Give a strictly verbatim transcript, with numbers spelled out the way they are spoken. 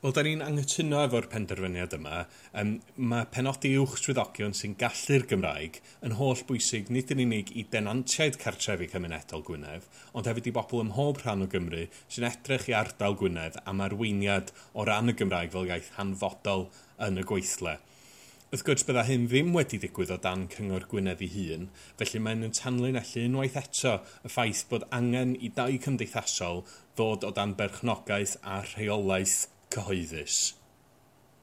Wel, da ni'n anghytuno efo'r penderfyniad yma. Um, mae penodi uwch swyddogion sy'n gallu'r Gymraeg yn holl bwysig nid yn unig i denantiaid cartrefi cymunedol Gwynedd, ond hefyd i bobl ym mhob rhan o Gymru sy'n edrych i ardal Gwynedd am arweiniad o ran y Gymraeg fel iaith hanfodol yn y gweithle. Wrth gwrs, bydda hyn ddim wedi digwydd o dan Cyngor Gwynedd ei hun, felly mae'n yn tanlinellu unwaith eto y ffaith bod angen i dai cymdeithasol ddod o dan berchnogaeth a rheolaeth cyhoeddus.